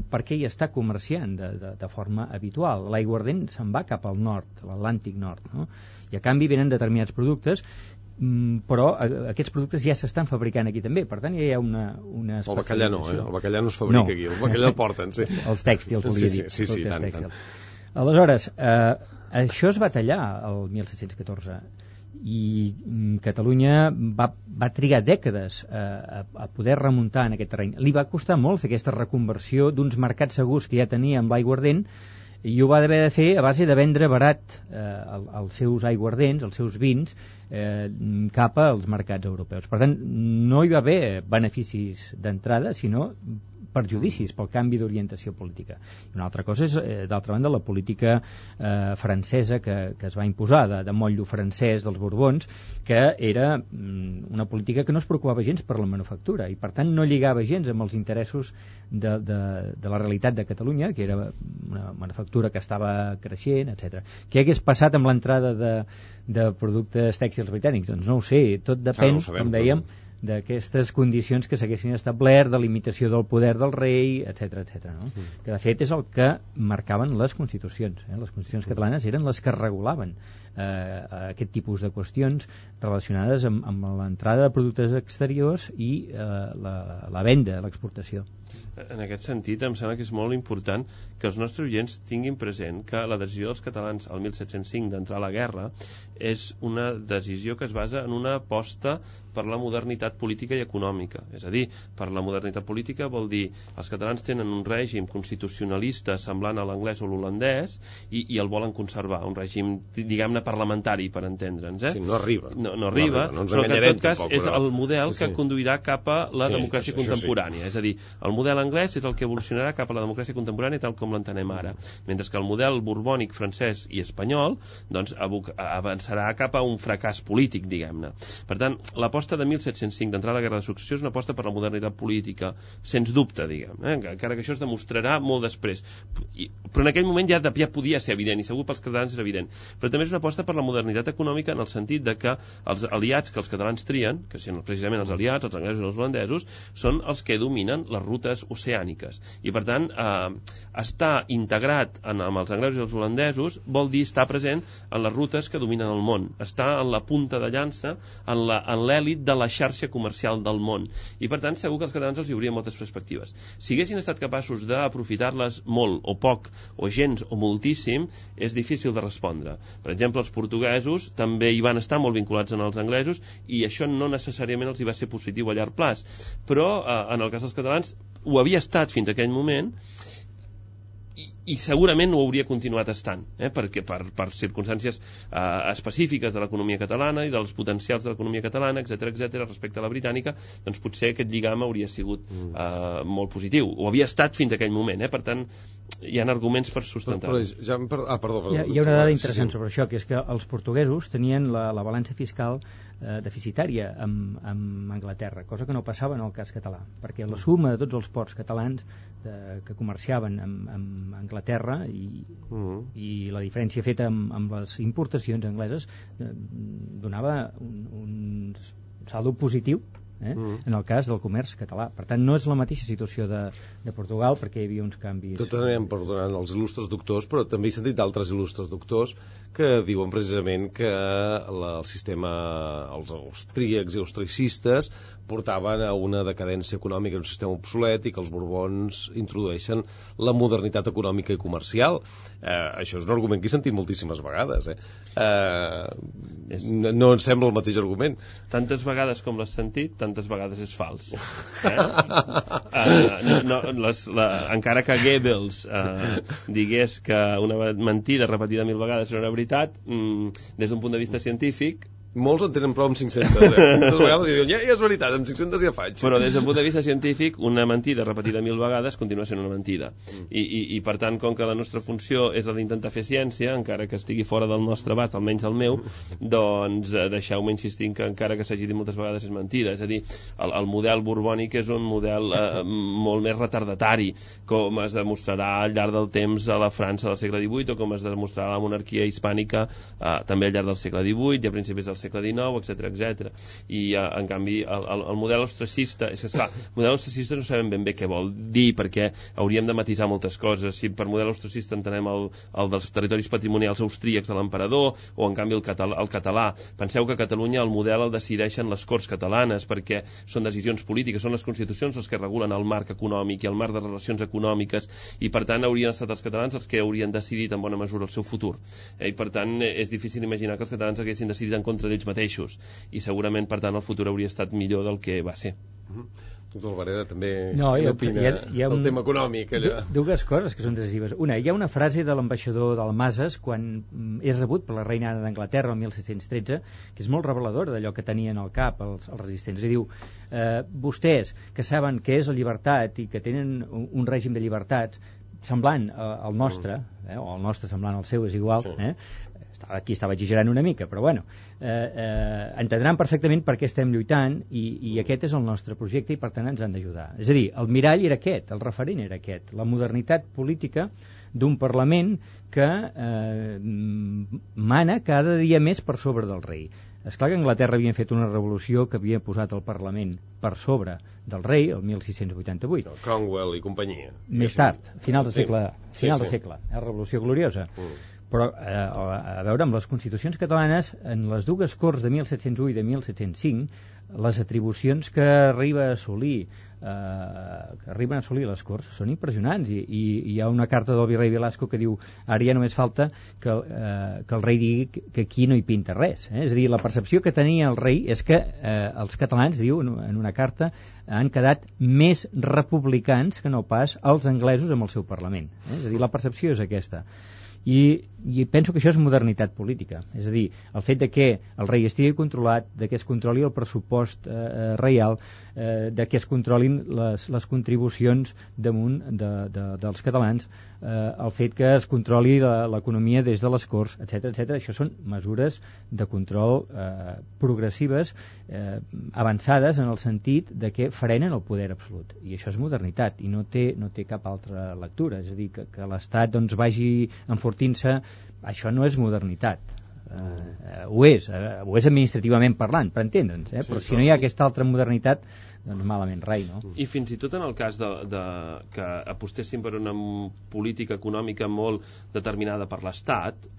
perquè hi està comerciant de forma habitual. L'aiguardent se'n va cap al nord, a l'Atlàntic nord, no? I a canvi venen determinats productes, però aquests productes ja s'estan fabricant aquí també, per tant ja hi ha una el bacallà no, el bacallà no es fabrica aquí, el bacallà el porten, sí. Els tèxtils, volia dir. Sí, tant. Aleshores, això es va tallar el 1714 i Catalunya va trigar dècades a poder remuntar en aquest terreny. Li va costar molt fer aquesta reconversió d'uns mercats segurs que ja tenia amb l'aiguardent, i ho va haver de fer a base de vendre barat els seus aiguardents, els seus vins, cap als mercats europeus. Per tant, no hi va haver beneficis d'entrada, sinó perjudicis pel canvi d'orientació política. I una altra cosa és, d'altra banda, la política francesa que es va imposar, de motllo francès dels Borbons, que era una política que no es preocupava gens per la manufactura i per tant no lligava gens amb els interessos de la realitat de Catalunya, que era una manufactura que estava creixent, etc. Què hagués passat amb l'entrada de productes tèxtils britànics? Doncs no ho sé, tot depèn, com dèiem, d'aquestes condicions que s'haguessin establert, de limitació del poder del rei, etc. No? Que de fet és el que marcaven les constitucions. Les constitucions catalanes eren les que regulaven aquest tipus de qüestions relacionades amb l'entrada de productes exteriors i la venda, l'exportació. En aquest sentit, em sembla que és molt important que els nostres oients tinguin present que la decisió dels catalans al 1705 d'entrar a la guerra és una decisió que es basa en una aposta per la modernitat política i econòmica. És a dir, per la modernitat política vol dir els catalans tenen un règim constitucionalista semblant a l'anglès o l'holandès i el volen conservar, un règim, diguem-ne, parlamentari, per entendre'ns. Sí, no arriba. No arriba, no ens però que en tot cas tampoc, és el model que conduirà cap a la democràcia contemporània. És a dir, el model anglès és el que evolucionarà cap a la democràcia contemporània tal com l'entenem ara, mentre que el model borbònic, francès i espanyol doncs avançarà cap a un fracàs polític, diguem-ne. Per tant, l'aposta de 1705 d'entrar a la Guerra de Successió és una aposta per la modernitat política, sens dubte, diguem, encara que això es demostrarà molt després. Però en aquell moment ja podia ser evident, i segur pels catalans era evident. Però també és una aposta per la modernitat econòmica en el sentit de que els aliats que els catalans trien, que són precisament els aliats, els anglesos i els holandesos, són els que dominen les rutes oceàniques. I per tant, estar integrat amb els anglesos i els holandesos vol dir estar present en les rutes que dominen el món, estar en la punta de llança, en l'èlit de la xarxa comercial del món. I per tant, segur que els catalans els hi haurien moltes perspectives. Si haguessin estat capaços d'aprofitar-les molt o poc, o gens o moltíssim, és difícil de respondre. Per exemple, els portuguesos també hi van estar molt vinculats als anglesos i això no necessàriament els hi va ser positiu a llarg plaç. Però, en el cas dels catalans, ho havia estat fins a aquell moment i segurament ho hauria continuat estant, perquè per circumstàncies específiques de l'economia catalana i dels potencials de l'economia catalana, etc respecte a la britànica, doncs potser aquest lligam hauria sigut molt positiu. Ho havia estat fins a aquell moment, per tant hi ha arguments per sustentar-ho. Hi ha una dada interessant sobre això, que és que els portuguesos tenien la balança fiscal deficitària amb Anglaterra, cosa que no passava en el cas català, perquè la suma de tots els ports catalans que comerciaven amb Anglaterra i la diferència feta amb les importacions angleses donava un saldo positiu en el cas del comerç català. Per tant, no és la mateixa situació de Portugal, perquè hi havia uns canvis. Tot anem perdonant els il·lustres doctors, però també he sentit d'altres il·lustres doctors que diuen precisament que el sistema, els austríacs i austricistes portaven a una decadència econòmica, un sistema obsolet, i que els borbons introdueixen la modernitat econòmica i comercial. Això és un argument que he sentit moltíssimes vegades. No em sembla el mateix argument. Tantes vegades com l'has sentit, tantes vegades és fals. Encara que Goebbels digués que una mentida repetida 1000 vegades era una veritat, des d'un punt de vista científic, molts en tenen prou amb 500, 500 vegades i diuen, ja és veritat, amb 500 ja faig. Però des del punt de vista científic, una mentida repetida 1000 vegades continua sent una mentida. I per tant, com que la nostra funció és la d'intentar fer ciència, encara que estigui fora del nostre abast, almenys el meu, doncs deixeu-me insistir que encara que s'hagi dit moltes vegades és mentida. És a dir, el model borbònic és un model molt més retardatari, com es demostrarà al llarg del temps a la França del segle XVIII, o com es demostrarà a la monarquia hispànica també al llarg del segle XVIII i a principis del segle XIX, etc. I en canvi el model austracista, és que esclar, el model austracista no sabem ben bé què vol dir, perquè hauríem de matisar moltes coses. Si per model austracista entenem el dels territoris patrimonials austríacs de l'emperador, o en canvi el català. Penseu que a Catalunya el model el decideixen les Corts catalanes, perquè són decisions polítiques, són les constitucions les que regulen el marc econòmic i el marc de relacions econòmiques, i per tant haurien estat els catalans els que haurien decidit en bona mesura el seu futur. I per tant és difícil imaginar que els catalans haguessin decidit en contra d'ells mateixos, i segurament per tant el futur hauria estat millor del que va ser. Doctor Albareda també opina el tema econòmic. Dues coses que són decisives. Una, hi ha una frase de l'ambaixador d'Almases quan és rebut per la reina Anna d'Anglaterra el 1713, que és molt reveladora d'allò que tenien al cap els resistents. I diu, vostès que saben què és la llibertat i que tenen un règim de llibertats semblant al nostre, o el nostre semblant al seu, és igual, aquí estava exagerant una mica, però bueno, entendran perfectament per què estem lluitant i aquest és el nostre projecte i per tant ens han d'ajudar. És a dir, el mirall era aquest, el referent era aquest, la modernitat política d'un Parlament que mana cada dia més per sobre del rei. És clar que a Anglaterra havien fet una revolució que havia posat el Parlament per sobre del rei, el 1688. Cromwell i companyia. Més tard, final de segle, Revolució Gloriosa. Però, a veure, amb les constitucions catalanes, en les dues Corts de 1701 i de 1705, les atribucions que arriben a assolir les Corts són impressionants, i hi ha una carta del virrei Velasco que diu ara ja només falta que el rei digui que aquí no hi pinta res, És a dir, la percepció que tenia el rei és que els catalans, diu en una carta, han quedat més republicans que no pas els anglesos amb el seu Parlament, És a dir, la percepció és aquesta. I penso que això és modernitat política, és a dir, el fet de que el rei estigui controlat, de que es controli el pressupost reial, de que es controlin les contribucions damunt dels catalans, el fet que es controli l'economia des de les Corts, etc. Això són mesures de control progressives, avançades en el sentit de que frenen el poder absolut, i això és modernitat i no té cap altra lectura. És a dir, que l'Estat doncs vagi enfortint-se, això no és modernitat. Ho és administrativament parlant, per entendre'ns, però si no hi ha aquesta altra modernitat, doncs malament rai, no? I fins i tot en el cas que apostessin per una política econòmica molt determinada per l'Estat,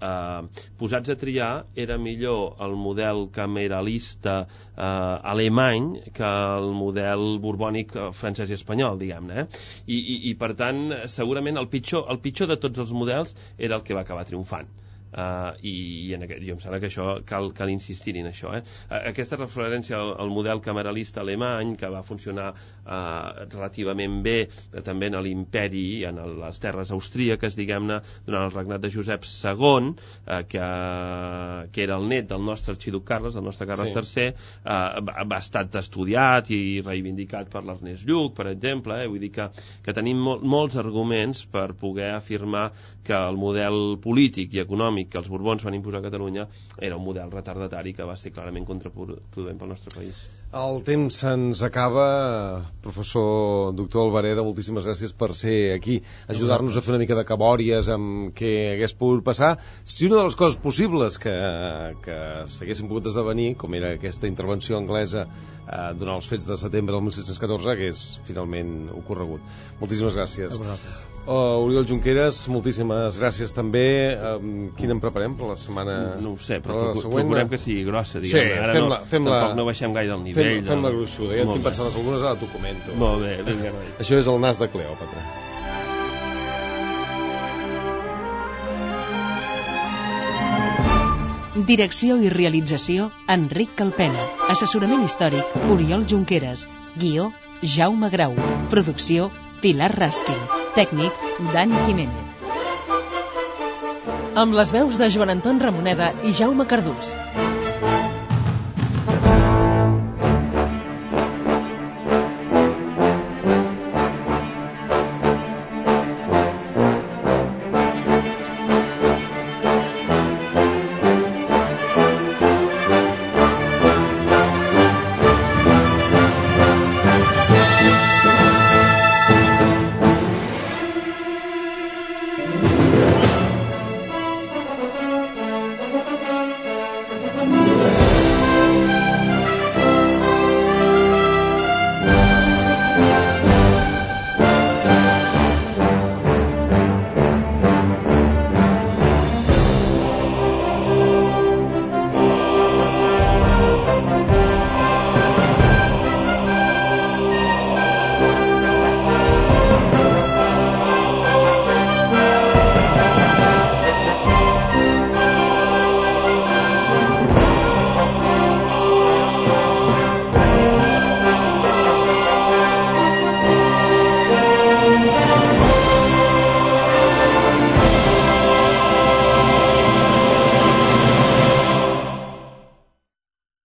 posats a triar, era millor el model cameralista alemany que el model borbònic francès i espanyol, diguem-ne. I per tant, segurament el pitjor de tots els models era el que va acabar triomfant. I jo em sembla que això cal insistir en això. Aquesta referència al model cameralista alemany, que va funcionar relativament bé també en l'imperi, en les terres austríaques, diguem-ne, durant el regnat de Josep II, que era el net del nostre arxiduc Carles, del nostre Carles III, va estar estudiat i reivindicat per l'Ernest Lluch, per exemple. Vull dir que tenim molts arguments per poder afirmar que el model polític i econòmic que els Borbons van imposar a Catalunya era un model retardatari que va ser clarament contraproduent pel nostre país. El temps se'ns acaba. Professor doctor Albareda, moltíssimes gràcies per ser aquí, ajudar-nos a fer una mica de cabòries amb què hagués pogut passar. Si una de les coses possibles que s'haguessin pogut esdevenir, com era aquesta intervenció anglesa durant els fets de setembre del 1714, hagués finalment ocorregut. Moltíssimes gràcies. Oriol Junqueras, moltíssimes gràcies també. Quina en preparem per la setmana? No ho sé, però procurem que sigui grossa, diguem. Ara tampoc no baixem gaire el nivell. Fem-la gruixuda, ja tinc pensades algunes, ara t'ho comento. Molt bé, vinga, noi. Això és el nas de Cleòpatra. Direcció i realització, Enric Calpena. Assessorament històric, Oriol Junqueras. Guió, Jaume Grau. Producció, Pilar Raskin. Tècnic, Dani Jiménez. Amb les veus de Joan Anton Ramoneda i Jaume Cardús.